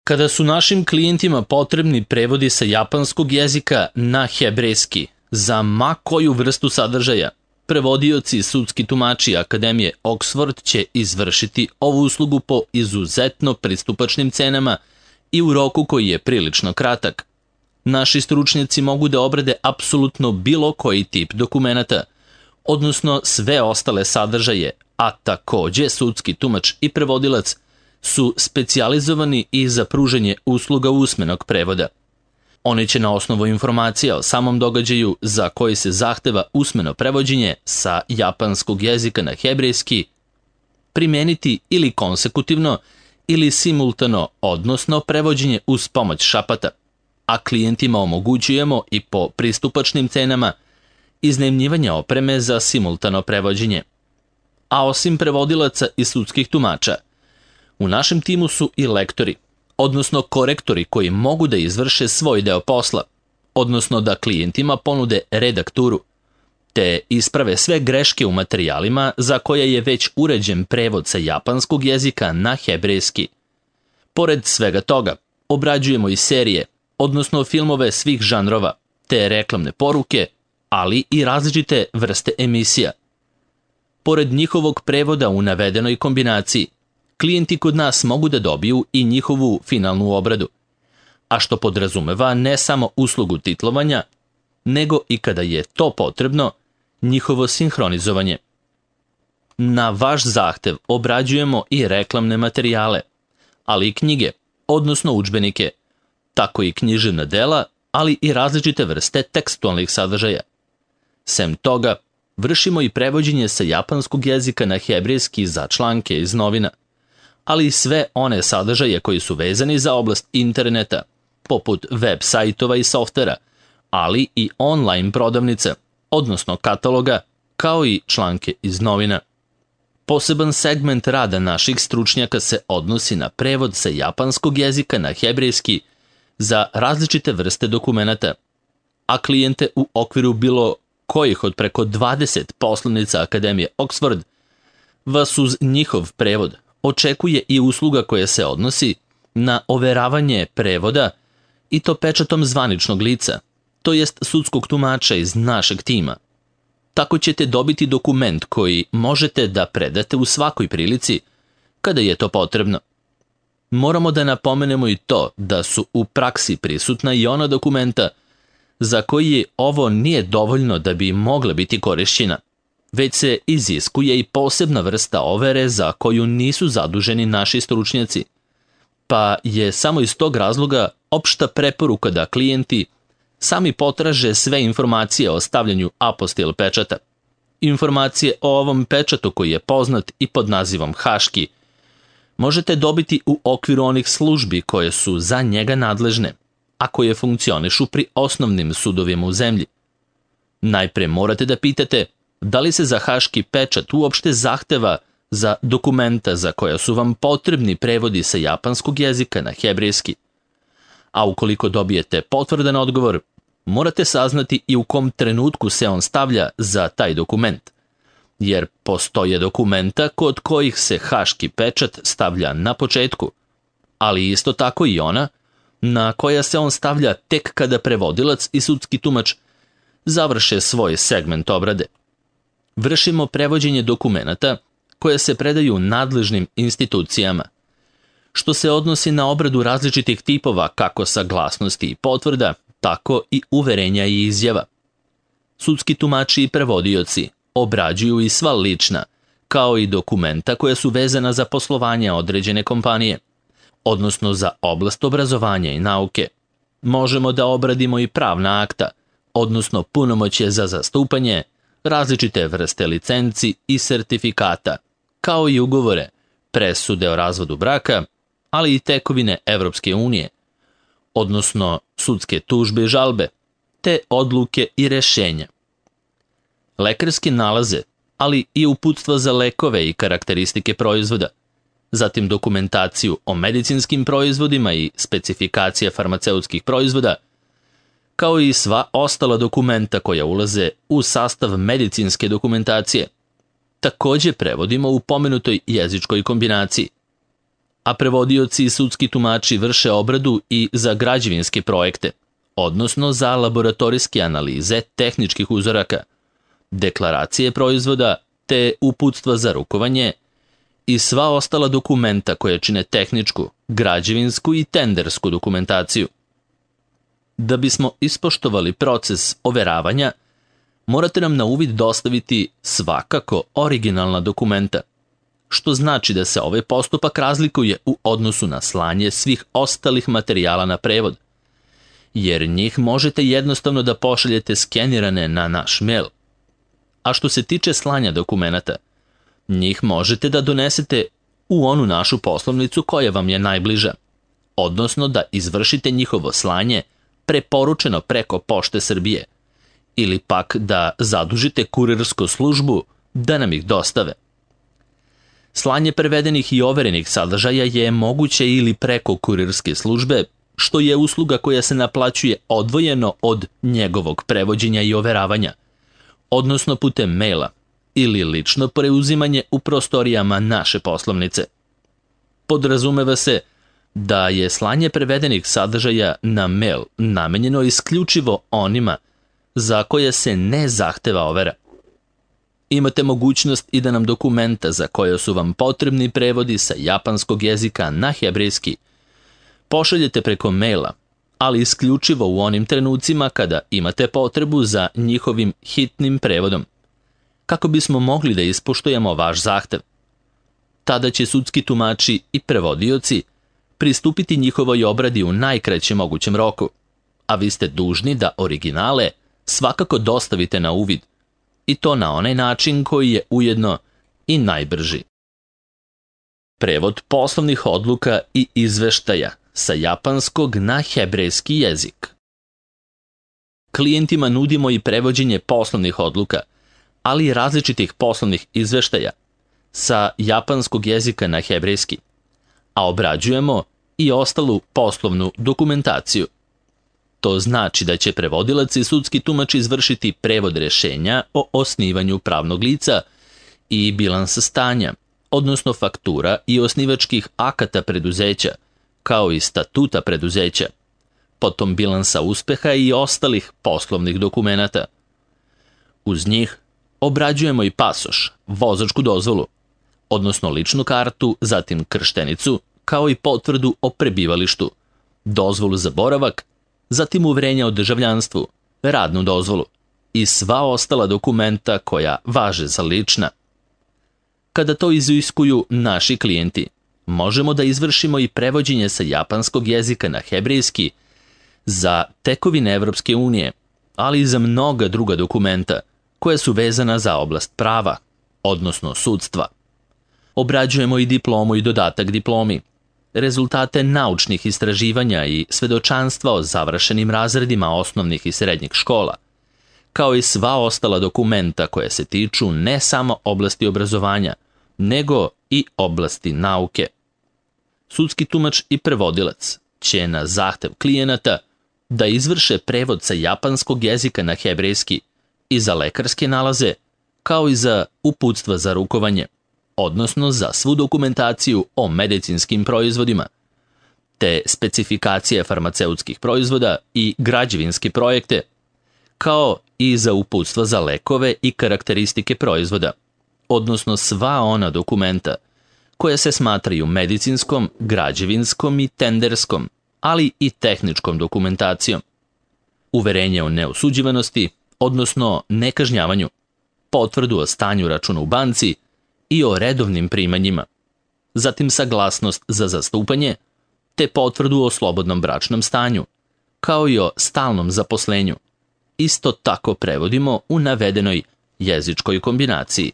Kada su našim klijentima potrebni prevodi sa japanskog jezika na hebrejski za ma koju vrstu sadržaja, prevodioci i sudski tumači Akademije Oxford će izvršiti ovu uslugu po izuzetno pristupačnim cenama i u roku koji je prilično kratak. Naši stručnjaci mogu da obrade apsolutno bilo koji tip dokumenata, odnosno sve ostale sadržaje, a takođe sudski tumač i prevodilac su specijalizovani i za pružanje usluga usmenog prevoda. Oni će na osnovu informacija o samom događaju za koji se zahteva usmeno prevođenje sa japanskog jezika na hebrejski primeniti ili konsekutivno ili simultano, odnosno prevođenje uz pomoć šapata, a klijentima omogućujemo i po pristupačnim cenama iznajmljivanje opreme za simultano prevođenje. A osim prevodilaca i sudskih tumača, u našem timu su i lektori, odnosno korektori koji mogu da izvrše svoj deo posla, odnosno da klijentima ponude redakturu, te isprave sve greške u materijalima za koje je već uređen prevod sa japanskog jezika na hebrejski. Pored svega toga, obrađujemo i serije, odnosno filmove svih žanrova, te reklamne poruke, ali i različite vrste emisija. Pored njihovog prevoda u navedenoj kombinaciji, klijenti kod nas mogu da dobiju i njihovu finalnu obradu, a što podrazumeva ne samo uslugu titlovanja, nego i kada je to potrebno, njihovo sinhronizovanje. Na vaš zahtev obrađujemo i reklamne materijale, ali i knjige, odnosno udžbenike, tako i književna dela, ali i različite vrste tekstualnih sadržaja. Sem toga, vršimo i prevođenje sa japanskog jezika na hebrejski za članke iz novina, ali i sve one sadržaje koji su vezani za oblast interneta, poput web sajtova i softvera, ali i online prodavnice, odnosno kataloga, kao i članke iz novina. Poseban segment rada naših stručnjaka se odnosi na prevod sa japanskog jezika na hebrejski za različite vrste dokumenata, a klijente u okviru bilo kojih od preko 20 poslovnica Akademije Oxford vas uz njihov prevod očekuje i usluga koja se odnosi na overavanje prevoda i to pečatom zvaničnog lica, to jest sudskog tumača iz našeg tima. Tako ćete dobiti dokument koji možete da predate u svakoj prilici kada je to potrebno. Moramo da napomenemo i to da su u praksi prisutna i ona dokumenta za koji ovo nije dovoljno da bi mogla biti korišćena, već se iziskuje i posebna vrsta overe za koju nisu zaduženi naši stručnjaci, pa je samo iz tog razloga opšta preporuka da klijenti sami potraže sve informacije o stavljanju apostil pečata. Informacije o ovom pečatu koji je poznat i pod nazivom haški možete dobiti u okviru onih službi koje su za njega nadležne, a koje funkcionišu pri osnovnim sudovima u zemlji. Najpre morate da pitate da li se za haški pečat uopšte zahteva za dokumenta za koja su vam potrebni prevodi sa japanskog jezika na hebrejski. A ukoliko dobijete potvrdan odgovor, morate saznati i u kom trenutku se on stavlja za taj dokument, jer postoje dokumenta kod kojih se haški pečat stavlja na početku, ali isto tako i ona na koja se on stavlja tek kada prevodilac i sudski tumač završe svoj segment obrade. Vršimo prevođenje dokumenata koje se predaju nadležnim institucijama, što se odnosi na obradu različitih tipova kako saglasnosti i potvrda, tako i uverenja i izjava. Sudski tumači i prevodioci obrađuju i sva lična, kao i dokumenta koja su vezana za poslovanje određene kompanije, odnosno za oblast obrazovanja i nauke. Možemo da obradimo i pravna akta, odnosno punomoćje za zastupanje, različite vrste licenci i sertifikata, kao i ugovore, presude o razvodu braka, ali i tekovine Evropske unije, odnosno sudske tužbe i žalbe, te odluke i rešenja. Lekarske nalaze, ali i uputstva za lekove i karakteristike proizvoda, zatim dokumentaciju o medicinskim proizvodima i specifikacija farmaceutskih proizvoda, kao i sva ostala dokumenta koja ulaze u sastav medicinske dokumentacije. Takođe prevodimo u pomenutoj jezičkoj kombinaciji. a prevodioci i sudski tumači vrše obradu i za građevinske projekte, odnosno za laboratorijske analize tehničkih uzoraka, deklaracije proizvoda te uputstva za rukovanje i sva ostala dokumenta koje čine tehničku, građevinsku i tendersku dokumentaciju. Da bismo ispoštovali proces overavanja, morate nam na uvid dostaviti svakako originalna dokumenta, što znači da se ovaj postupak razlikuje u odnosu na slanje svih ostalih materijala na prevod, jer njih možete jednostavno da pošaljete skenirane na naš mail. A što se tiče slanja dokumenata, njih možete da donesete u onu našu poslovnicu koja vam je najbliža, odnosno da izvršite njihovo slanje preporučeno preko Pošte Srbije, ili pak da zadužite kurirsku službu da nam ih dostave. Slanje prevedenih i overenih sadržaja je moguće ili preko kurirske službe, što je usluga koja se naplaćuje odvojeno od njegovog prevođenja i overavanja, odnosno putem maila ili lično preuzimanje u prostorijama naše poslovnice. Podrazumeva se da je slanje prevedenih sadržaja na mail namenjeno isključivo onima za koje se ne zahteva overa. Imate mogućnost i da nam dokumenta za koje su vam potrebni prevodi sa japanskog jezika na hebrejski pošaljete preko maila, ali isključivo u onim trenucima kada imate potrebu za njihovim hitnim prevodom, kako bismo mogli da ispoštujemo vaš zahtev. Tada će sudski tumači i prevodioci pristupiti njihovoj obradi u najkraćem mogućem roku, a vi ste dužni da originale svakako dostavite na uvid, i to na onaj način koji je ujedno i najbrži. Prevod poslovnih odluka i izveštaja sa japanskog na hebrejski jezik. Klijentima nudimo i prevođenje poslovnih odluka, ali i različitih poslovnih izveštaja sa japanskog jezika na hebrejski, a obrađujemo i ostalu poslovnu dokumentaciju. To znači da će prevodilac i sudski tumač izvršiti prevod rešenja o osnivanju pravnog lica i bilansa stanja, odnosno faktura i osnivačkih akata preduzeća, kao i statuta preduzeća, potom bilansa uspeha i ostalih poslovnih dokumenata. Uz njih obrađujemo i pasoš, vozačku dozvolu, odnosno ličnu kartu, zatim krštenicu, kao i potvrdu o prebivalištu, dozvolu za boravak, zatim uverenja o državljanstvu, radnu dozvolu i sva ostala dokumenta koja važe za lična. Kada to iziskuju naši klijenti, možemo da izvršimo i prevođenje sa japanskog jezika na hebrejski za tekovine Evropske unije, ali i za mnoga druga dokumenta koja su vezana za oblast prava, odnosno sudstva. Obrađujemo i diplomu i dodatak diplomi, rezultate naučnih istraživanja i svedočanstva o završenim razredima osnovnih i srednjih škola, kao i sva ostala dokumenta koja se tiču ne samo oblasti obrazovanja, nego i oblasti nauke. Sudski tumač i prevodilac će na zahtev klijenata da izvrše prevod sa japanskog jezika na hebrejski i za lekarske nalaze, kao i za uputstva za rukovanje, odnosno za svu dokumentaciju o medicinskim proizvodima, te specifikacije farmaceutskih proizvoda i građevinske projekte, kao i za uputstva za lekove i karakteristike proizvoda, odnosno sva ona dokumenta koja se smatraju medicinskom, građevinskom i tenderskom, ali i tehničkom dokumentacijom. Uverenje o neosuđivanosti, odnosno nekažnjavanju, potvrdu o stanju računa u banci i o redovnim primanjima, zatim saglasnost za zastupanje, te potvrdu o slobodnom bračnom stanju, kao i o stalnom zaposlenju, isto tako prevodimo u navedenoj jezičkoj kombinaciji.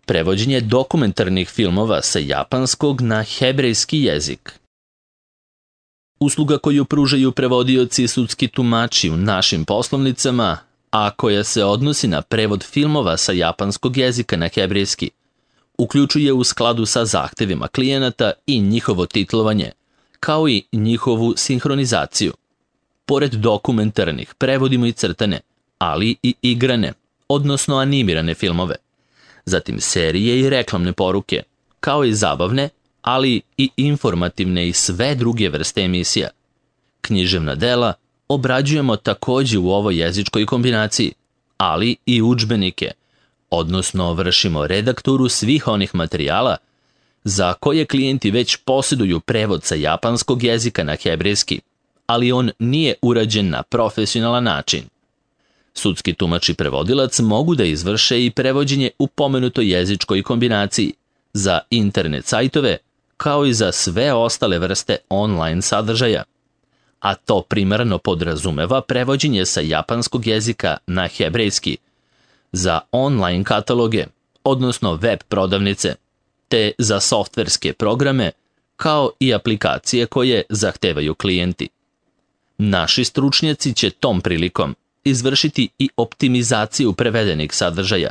Prevođenje dokumentarnih filmova sa japanskog na hebrejski jezik. Usluga koju pružaju prevodioci i sudski tumači u našim poslovnicama, a koja se odnosi na prevod filmova sa japanskog jezika na hebrejski, uključuje u skladu sa zahtevima klijenata i njihovo titlovanje, kao i njihovu sinhronizaciju. Pored dokumentarnih prevodimo i crtane, ali i igrane, odnosno animirane filmove, zatim serije i reklamne poruke, kao i zabavne, ali i informativne i sve druge vrste emisija. Književna dela obrađujemo takođe u ovoj jezičkoj kombinaciji, ali i udžbenike, odnosno vršimo redakturu svih onih materijala za koje klijenti već posjeduju prevod sa japanskog jezika na hebrejski, ali on nije urađen na profesionalan način. Sudski tumač i prevodilac mogu da izvrše i prevođenje u pomenutoj jezičkoj kombinaciji za internet sajtove, kao i za sve ostale vrste online sadržaja, a to primarno podrazumeva prevođenje sa japanskog jezika na hebrejski za online kataloge, odnosno web prodavnice, te za softverske programe, kao i aplikacije koje zahtevaju klijenti. Naši stručnjaci će tom prilikom izvršiti i optimizaciju prevedenih sadržaja,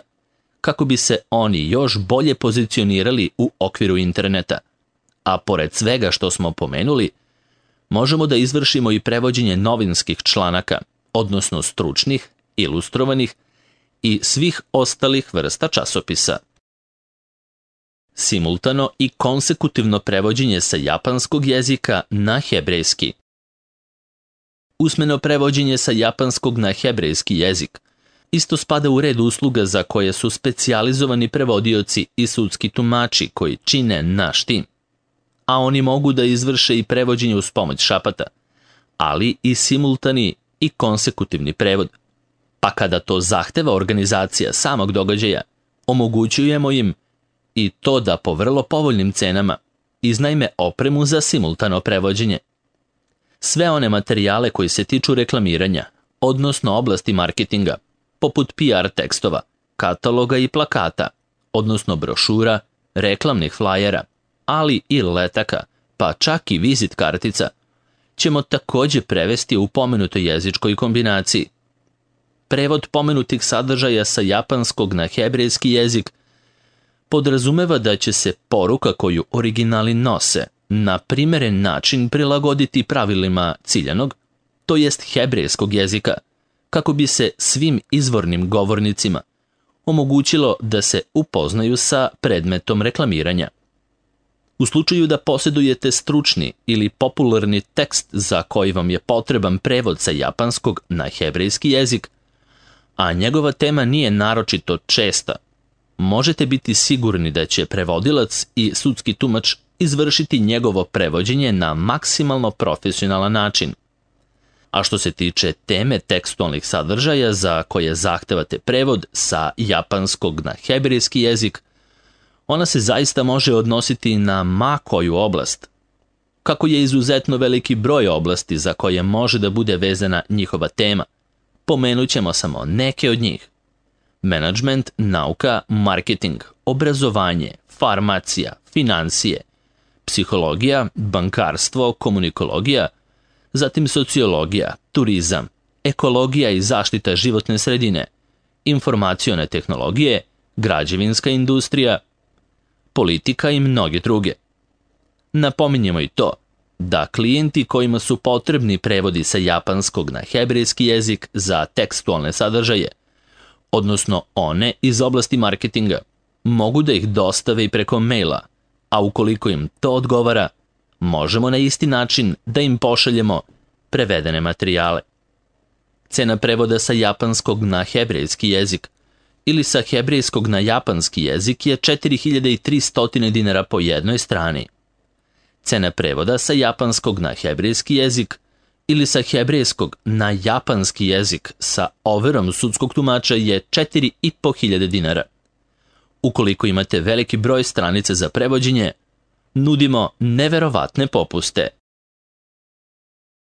kako bi se oni još bolje pozicionirali u okviru interneta. A pored svega što smo pomenuli, možemo da izvršimo i prevođenje novinskih članaka, odnosno stručnih, ilustrovanih i svih ostalih vrsta časopisa. Simultano i konsekutivno prevođenje sa japanskog jezika na hebrejski. Usmeno prevođenje sa japanskog na hebrejski jezik isto spada u red usluga za koje su specijalizovani prevodioci i sudski tumači koji čine naš tim, a oni mogu da izvrše i prevođenje uz pomoć šapata, ali i simultani i konsekutivni prevod. Pa kada to zahteva organizacija samog događaja, omogućujemo im i to da po vrlo povoljnim cenama iznajme opremu za simultano prevođenje. Sve one materijale koji se tiču reklamiranja, odnosno oblasti marketinga, poput PR tekstova, kataloga i plakata, odnosno brošura, reklamnih flajera, ali i letaka, pa čak i vizit kartica, ćemo takođe prevesti u pomenutoj jezičkoj kombinaciji. Prevod pomenutih sadržaja sa japanskog na hebrejski jezik podrazumeva da će se poruka koju originali nose na primeren način prilagoditi pravilima ciljanog, to jest hebrejskog jezika, kako bi se svim izvornim govornicima omogućilo da se upoznaju sa predmetom reklamiranja. U slučaju da posjedujete stručni ili popularni tekst za koji vam je potreban prevod sa japanskog na hebrejski jezik, a njegova tema nije naročito česta, možete biti sigurni da će prevodilac i sudski tumač izvršiti njegovo prevođenje na maksimalno profesionalan način. A što se tiče teme tekstualnih sadržaja za koje zahtevate prevod sa japanskog na hebrejski jezik, ona se zaista može odnositi na ma koju oblast. Kako je izuzetno veliki broj oblasti za koje može da bude vezana njihova tema, pomenut ćemo samo neke od njih. Menadžment, nauka, marketing, obrazovanje, farmacija, financije, psihologija, bankarstvo, komunikologija, zatim sociologija, turizam, ekologija i zaštita životne sredine, informacione tehnologije, građevinska industrija, politika i mnoge druge. Napominjemo i to da klijenti kojima su potrebni prevodi sa japanskog na hebrejski jezik za tekstualne sadržaje, odnosno one iz oblasti marketinga, mogu da ih dostave i preko maila, a ukoliko im to odgovara, možemo na isti način da im pošaljemo prevedene materijale. Cena prevoda sa japanskog na hebrejski jezik ili sa hebrejskog na japanski jezik je 4300 dinara po jednoj strani. Cena prevoda sa japanskog na hebrejski jezik ili sa hebrejskog na japanski jezik sa overom sudskog tumača je 4500 dinara. Ukoliko imate veliki broj stranica za prevođenje, nudimo neverovatne popuste